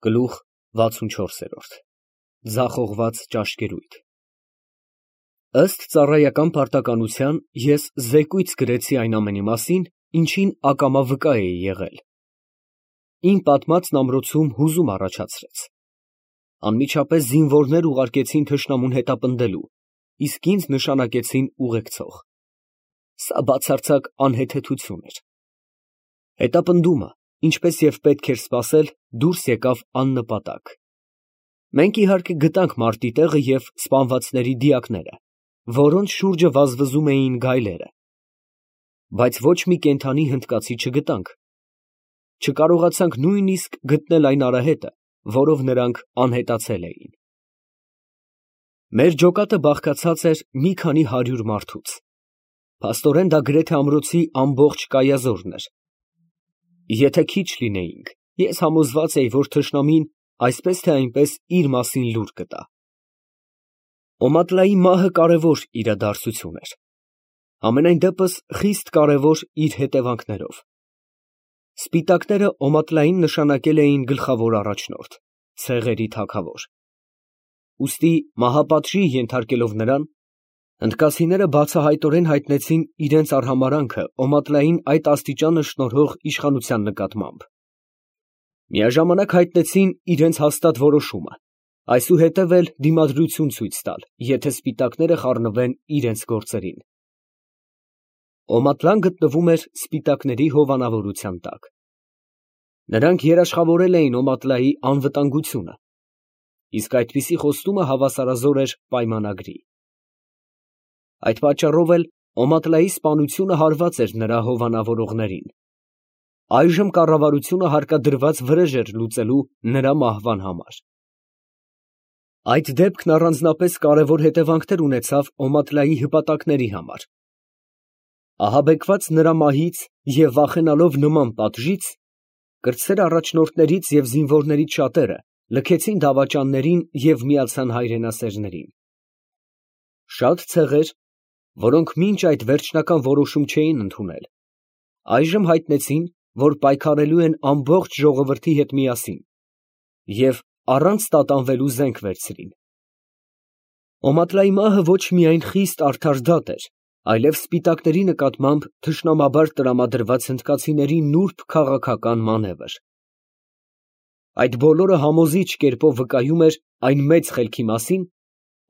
Գլուխ 64 Ձախողված ճաշկերույթ Ըստ ծառայական պարտականության ես զեկույց գրեցի այն ամենի մասին, ինչին ակամա վկա էի եղել։ Իմ պատմածն ամրոցում հուզում առաջացրեց։ Անմիջապես զինվորներ ուղարկեցին թշնամուն հետապնդելու, իսկ ինձ նշանակեցին ուղեկցող։ Սա բացարձակ անհեթեթություն էր։ Հետապնդումը, ինչպես և պետք էր սպասել, դուրս եկավ աննպատակ։ Մենք իհարկե գտանք մարտի տեղը և սպանվածների դիակները, որոնց շուրջը վազվզում էին գայլերը, բայց ոչ մի կենդանի հնդկացի չգտանք։ Չկարողացանք նույնիսկ գտնել այն արահետը, որով նրանք անհետացել էին։ Մեր ջոկատը բաղկացած էր մի քանի 100 մարդուց։ Փաստորեն դա գրեթե ամրոցի ամբողջ կայազորն էր։ Եթե քիչ լինեինք, ես համոզված էի, որ թշնամին այսպես թե այնպես իր մասին լուր կտա։ Օմատլայի մահը կարևոր իրադարձություն էր։ Համենայն դեպս խիստ կարևոր իր հետևանքներով։ Սպիտակները Օմատլային նշանակել էին գլխավոր առաջնորդ, ցեղերի թագավոր։ Ուստի մահապատժի ենթարկելով նրան, հնդկացիները բացահայտորեն հայտնեցին իրենց արհամարհանքը Օմատլային այդ աստիճանը շնորհող իշխանության նկատմամբ։ Միաժամանակ հայտնեցին իրենց հաստատ որոշումը, այսուհետև էլ դիմադրություն ցույց տալ, եթե սպիտակները խառնվեն իրենց գործերին։ Օմատլան գտնվում էր սպիտակների հովանավորության տակ։ Նրանք երաշխավորել էին Օմատլայի անվտանգությունը, իսկ այդպիսի խոստումը հավասարազոր էր պայմանագրի։ Այդ պատճառով էլ Օմատլայի սպանությունը հարված էր նրա հովանավորողներին։ Այժմ կառավարությունը հարկադրված վրեժ էր լուծելու նրա մահվան համար։ Այդ դեպքն առանձնապես կարևոր հետևանքներ ունեցավ Օմատլայի հպատակների համար։ Ահաբեկված նրա մահից և վախենալով նման պատժից, կրտսեր առաջնորդներից և զինվորներից շատերը լքեցին դավաճաններին և միացան հայրենասերներին։ Շատ ցեղեր, որոնք մինչ այդ վերջնական որոշում չէին ընդունել, այժմ հայտնեցին, որ պայքարելու են ամբողջ ժողովրդի հետ միասին և առանց տատանվելու զենք վերցրին։ Օմատլայի մահը ոչ միայն խիստ արդար դատ էր, այլև սպիտակների նկատմամբ թշնամաբար տրամադրված հնդկացիների նուրբ քաղաքական մանևր։ Այդ բոլորը համոզիչ կերպով վկայում էր այն մեծ խելքի մասին,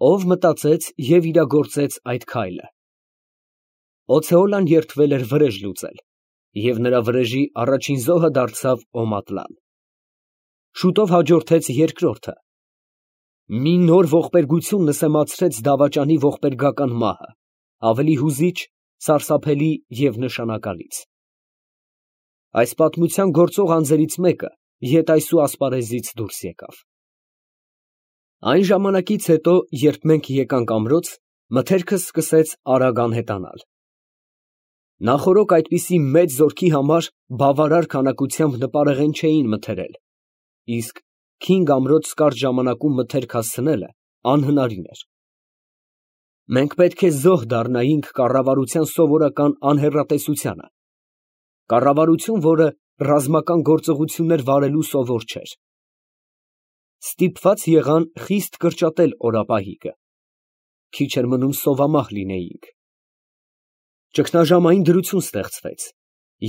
ով մտածեց և իրագործեց այդ քայլը։ Օցեոլան երդվել էր վրեժ լուծել, և նրա վրեժի առաջին զոհը դարձավ Օմատլան։ Շուտով հաջորդեց երկրորդը։ Մի նոր ողբերգություն նսեմացրեց դավաճանի ողբերգական մահը, ավելի հուզիչ, սարսափելի և նշանակալից։ Այս պատմության գործող անձերից մեկը ետայսու ասպարեզից դուրս եկավ։ Այն ժամանակից հետո, երբ մենք եկանք ամրոց, մթերքս սկսեց արագ անհետանալ։ Նախօրոք այդպիսի մեծ զորքի համար բավարար քանակությամբ նպարեղեն չէին մթերել, իսկ քինգ ամրոց կարճ ժամանակում մթերք հասցնելը անհնարին էր։ Մենք պետք է զոհ դառնայինք կառավարության սովորական անհեռատեսությանը, կառավարություն, որը ռազմական գործողություններ վարելու սովոր չէր։ Ստիպված եղան խիստ կրճատել օրապահիկը։ Քիչ էր մնում սովամահ լինեինք։ Ճգնաժամային դրություն ստեղծվեց,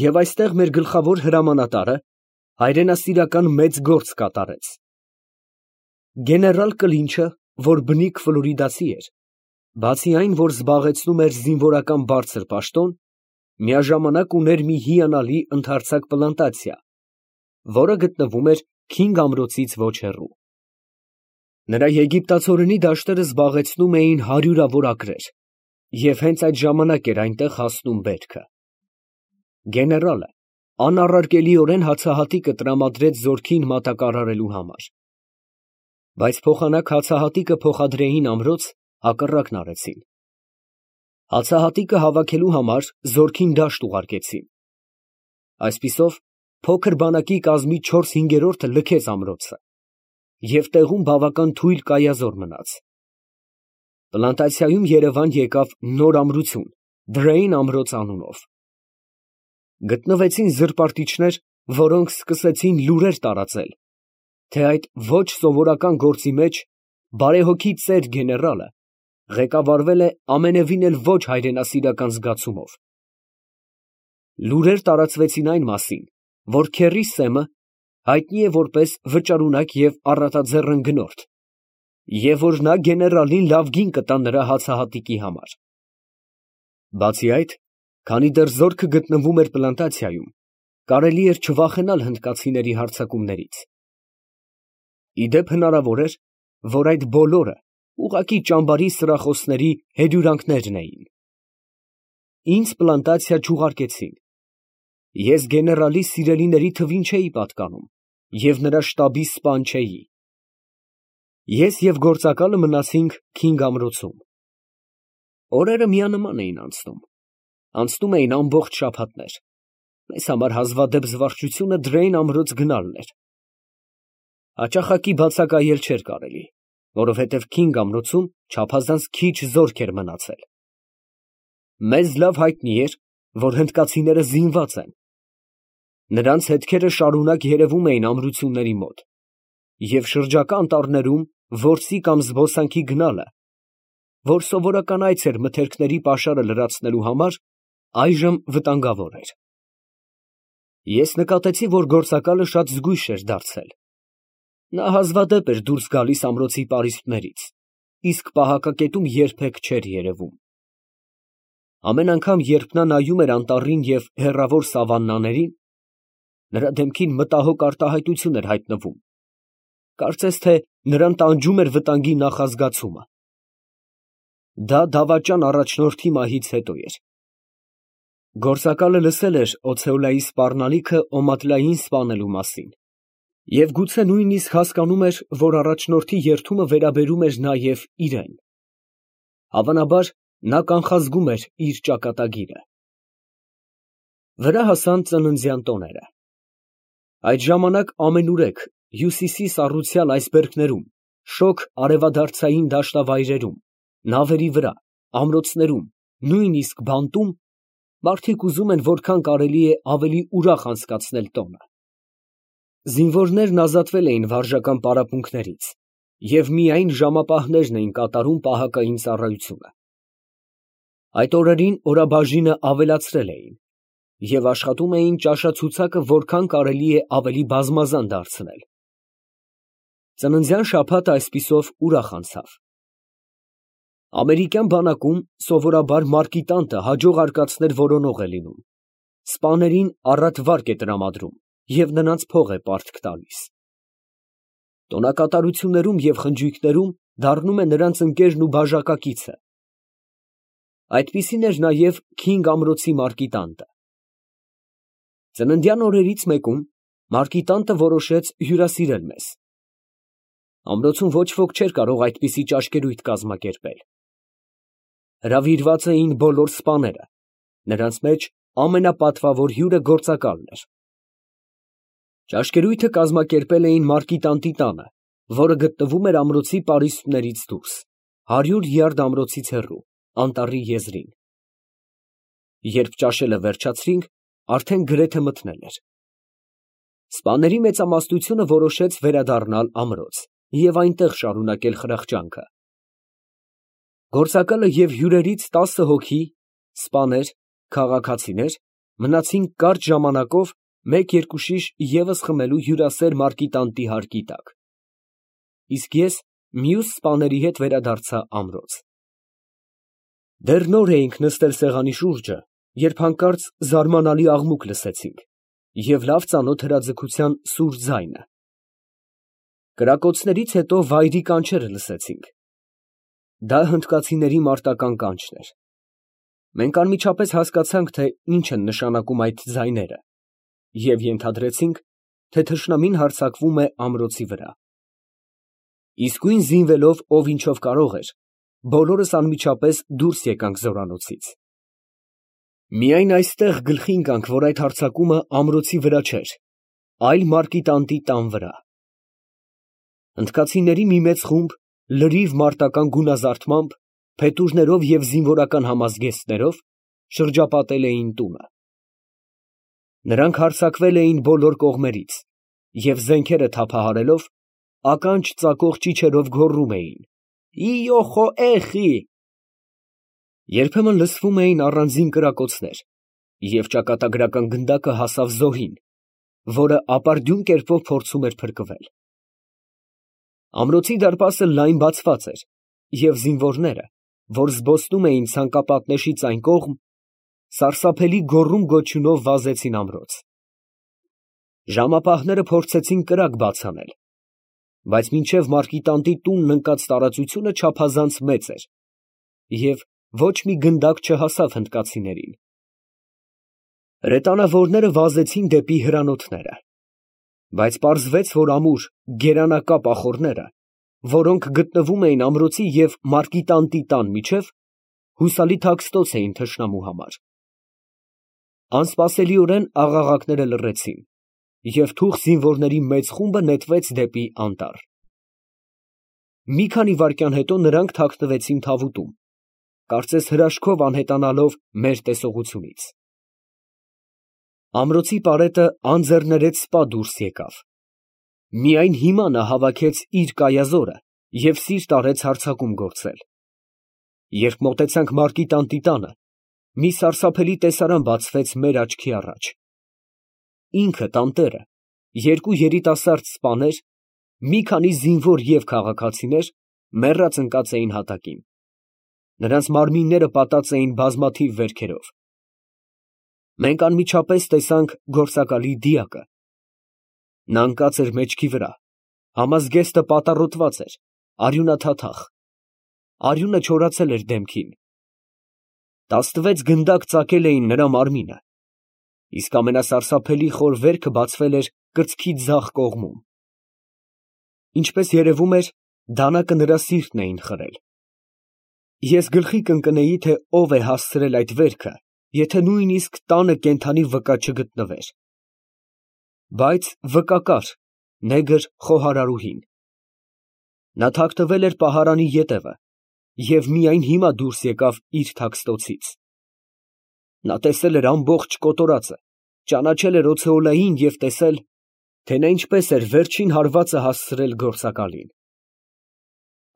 և այստեղ մեր գլխավոր հրամանատարը հայրենասիրական մեծ գործ կատարեց։ Գեներալ Կլինչը, որ բնիկ ֆլորիդացի էր, բացի այն, որ զբաղեցնում էր զինվորական բարձր պաշտոն, միաժամանակ ուներ մի հիանալի ընդարձակ պլանտացիա, որը գտնվում էր Քինգ ամրոցից ոչ հեռու։ Նրա եգիպտացորենի դաշտերը զբաղեցնում էին հարյուրավոր ակրեր, և հենց այդ ժամանակ էր այնտեղ հասնում բերքը։ Գեներալը անառարկելիորեն հացահատիկը տրամադրեց զորքին մատակարարելու համար։ Բայց փոխանակ հացահատիկը փոխադրեին ամրոց, հակառակն արեցին։ Հացահատիկը հավաքելու համար զորքին դաշտ ուղարկեցին։ Այսպիսով, փոքր բանակի կազմի 4/5-ը լքեց ամրոցը, և տեղում բավական թույլ կայազոր մնաց։ Պլանտացիայում երևան եկավ նոր ամրություն Դրեյն ամրոց անունով։ Գտնվեցին զրպարտիչներ, որոնք սկսեցին լուրեր տարածել, թե այդ ոչ սովորական գործի մեջ բարեհոգի ծեր գեներալը ղեկավարվել է ամենևին էլ ոչ հայրենասիրական զգացումով։ Լուրեր տարածվեցին այն մասին, որ քեռի Սեմը հայտնի է որպես վճարունակ և առատաձեռն գնորդ, և որ նա գեներալին լավ գին կտա նրա հացահատիկի համար։ Բացի այդ, քանի դեռ զորքը գտնվում էր պլանտացիայում, կարելի էր չվախենալ հնդկացիների հարձակումներից։ Ի դեպ հնարավոր էր, որ այդ բոլորը ուղղակի ճամբարի սրախոսների հեդյուրանքներն էին։ Ինձ պլանտացիա չուղարկեցին։ Ես գեներալի սիրելիների թվին չէի պատկանում և նրա շտաբի սպան չէի։ Ես և գործակալը մնացինք Քինգ ամրոցում։ Օրերը միանման էին անցնում։ Անցնում էին ամբողջ շաբաթներ։ Մեզ համար հազվադեպ զվարճությունը Դրեյն ամրոց գնալն էր։ Հաճախակի բացակայել չէր կարելի, որովհետև Քինգ ամրոցում չափազանց քիչ զորք էր մնացել։ Մեզ լավ հայտնի էր, որ հնդկացիները զինված են։ Նրանց հետքերը շարունակ երևում էին ամրությունների մոտ, և շրջակա անտառներում որսի կամ զբոսանքի գնալը, որ սովորական այց էր մթերքների պաշարը լրացնելու համար, այժմ վտանգավոր էր։ Ես նկատեցի, որ գործակալը շատ զգույշ էր դարձել։ Նա հազվադեպ էր դուրս գալիս ամրոցի պարիսպներից, իսկ պահակակետում երբեք չէր երևում։ Ամեն անգամ, երբ նա նայում էր անտառին և հեռավոր սավաննաներին, նրա դեմքին մտահոգ արտահայտություն էր հայտնվում, կարծես թե նրան տանջում էր վտանգի նախազգացումը։ Դա դավաճան առաջնորդի մահից հետո էր։ Գործակալը լսել էր Օցեոլայի սպառնալիքը Օմատլային սպանելու մասին և գուցե նույնիսկ հասկանում էր, որ առաջնորդի երդումը վերաբերում էր նաև իրան։ Հավանաբար, նա կանխազգում էր իր ճակատագիրը։ Վրա հասան ծննդյան տոները։ Այդ ժամանակ ամենուրեք հյուսիսի սառուցյալ այսբերգներում, շոգ արևադարձային դաշտավայրերում, նավերի վրա, ամրոցներում, նույնիսկ բանտում մարդիկ ուզում են որքան կարելի է ավելի ուրախ անցկացնել տոնը։ Զինվորներն ազատվել էին վարժական պարապմունքներից և միայն ժամապահներն էին կատարում պահակային ծառայությունը։ Այդ օրերին օրաբաժինը ավելացրել էին և աշխատում էին ճաշացուցակը որքան կարելի է ավելի բազմազան դարձնել։ Ծննդյան շաբաթը այսպիսով ուրախ անցավ։ Ամերիկյան բանակում սովորաբար մարկիտանտը հաջող արկածներ որոնող է լինում, սպաներին առատ վարկ է տրամադրում և նրանց փող է պարտք տալիս։ Տոնակատարություններում և խնջույքներում դառնում է նրանց ընկերն ու բաժակակիցը։ Այդպիսին էր նաև Քինգ ամրոցի մարկիտանտը։ Ծննդյան օրերից մեկում մարկիտանտը որոշեց հյուրասիրել մեզ։ Ամրոցում ոչ ոք չէր կարող այդպիսի ճաշկերույթ կազմակերպել։ Հրավիրված էին բոլոր սպաները, նրանց մեջ ամենապատվավոր հյուրը գործակալն էր։ Ճաշկերույթը կազմակերպել էին մարկիտանտի տանը, որը գտնվում էր ամրոցի պարիսպներից դուրս, 100 յարդ ամրոցից հեռու, անտառի եզրին։ Երբ ճաշելը վերջացրինք, արդեն գրեթե մթնել էր։ Սպաների մեծամասնությունը որոշեց վերադառնալ ամրոց և այնտեղ շարունակել խրախճանքը։ Գործակալը և հյուրերից 10 հոգի սպաներ, քաղաքացիներ մնացին կարճ ժամանակով մեկ-երկու շիշ ևս խմելու հյուրասեր մարկիտանտի հարկի տակ, իսկ ես մյուս սպաների հետ վերադարձա ամրոց։ Դեռ նոր էինք նստել սեղանի շուրջը, երբ հանկարծ զարմանալի աղմուկ լսեցինք և լավ ծանոթ հրաձգության սուր ձայնը։ Կրակոցներից հետո վայրի կանչերը լսեցինք։ Դա հնդկացիների մարտական կանչն էր։ Մենք անմիջապես հասկացանք, թե ինչ են նշանակում այդ ձայները և ենթադրեցինք, թե թշնամին հարձակվում է ամրոցի վրա։ Իսկույն զինվելով ով ինչով կարող էր, բոլորս անմիջապես դուրս եկանք զորանոցից։ Միայն այստեղ գլխի ընկանք, որ այդ հարձակումը ամրոցի վրա չէր, այլ մարկիտանտի տան վրա։ Հնդկացիների մի մեծ խումբ լրիվ մարտական գունազարդմամբ, փետուրներով և զինվորական համազգեստներով շրջապատել էին տունը։ Նրանք հարձակվել էին բոլոր կողմերից և զենքերը թափահարելով, ականջ ծակող ճիչերով գոռում էին. «Իո խոէխի»։ Երբեմն լսվում էին առանձին կրակոցներ, և ճակատագրական գնդակը հասավ զոհին, որը ապարդյուն կերպով փորձում էր փրկվել։ Ամրոցի դարպասը լայն բացված էր, և զինվորները, որ զբոսնում էին ցանկապատնեշից այն կողմ, սարսափելի գոռում֊գոչյունով վազեցին ամրոց։ Ժամապահները փորձեցին կրակ բաց անել, բայց մինչև մարկիտանտի տունն ընկած տարածությունը չափազանց մեծ էր, և ոչ մի գնդակ չհասավ հնդկացիներին։ Հրետանավորները վազեցին դեպի հրանոթները, բայց պարզվեց, որ ամուր գերանակապ ախոռները, որոնք գտնվում էին ամրոցի և մարկիտանտի տան միջև, հուսալի թաքստոց էին թշնամու համար։ Անսպասելիորեն աղաղակները լռեցին, և թուխ զինվորների մեծ խումբը նետվեց դեպի անտառ։ Մի քանի վայրկյան հետո նրանք թաքնվեցին թավուտում, կարծես հրաշքով անհետանալով մեր տեսողությունից։ Ամրոցի պարետը անձեռներեց սպա դուրս եկավ։ Միայն հիմա նա հավաքեց իր կայազորը և սիրտ արեց հարձակում գործել։ Երբ մոտեցանք մարկիտանտի տանը, մի սարսափելի տեսարան բացվեց մեր աչքի առաջ։ Ինքը, տանտերը, երկու երիտասարդ սպաներ, մի քանի զինվոր և քաղաքացիներ մեռած ընկած էին հատակին։ Նրանց մարմինները պատած էին բազմաթիվ վերքերով։ Մենք անմիջապես տեսանք գործակալի դիակը։ Նա ընկած էր մեջքի վրա, համազգեստը պատառոտված էր, արյունաթաթախ, արյունը չորացել էր դեմքին։ 16 գնդակ ծակել էին նրա մարմինը, իսկ ամենասարսափելի խոր վերքը բացվել էր կրծքի ձախ կողմում։ Ինչպես երևում էր, դանակը նրա սիրտն էին խրել։ Ես գլխի կընկնեի, թե ով է հասցրել այդ վերքը, եթե նույնիսկ տանը կենդանի վկա չգտնվեր։ Բայց վկա կար, նեգր խոհարարուհին։ Նա թաքնվել էր պահարանի ետևը և միայն հիմա դուրս եկավ իր թաքստոցից։ Նա տեսել էր ամբողջ կոտորածը, ճանաչել էր Օթեոլային և տեսել, թե նա ինչպես էր վերջին հարվածը հասցրել գործակալին։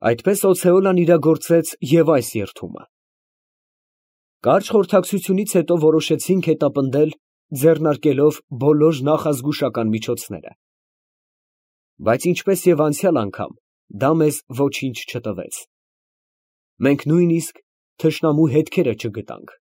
Այդպես Օթեոլան իրագործեց և այս երդումը։ Կարճ խորհրդակցությունից հետո որոշեցինք հետապնդել, ձեռնարկելով բոլոր նախազգուշական միջոցները։ Բայց ինչպես և անցյալ անգամ, դա մեզ ոչինչ չտվեց։ Մենք նույնիսկ թշնամու հետքերը չգտանք։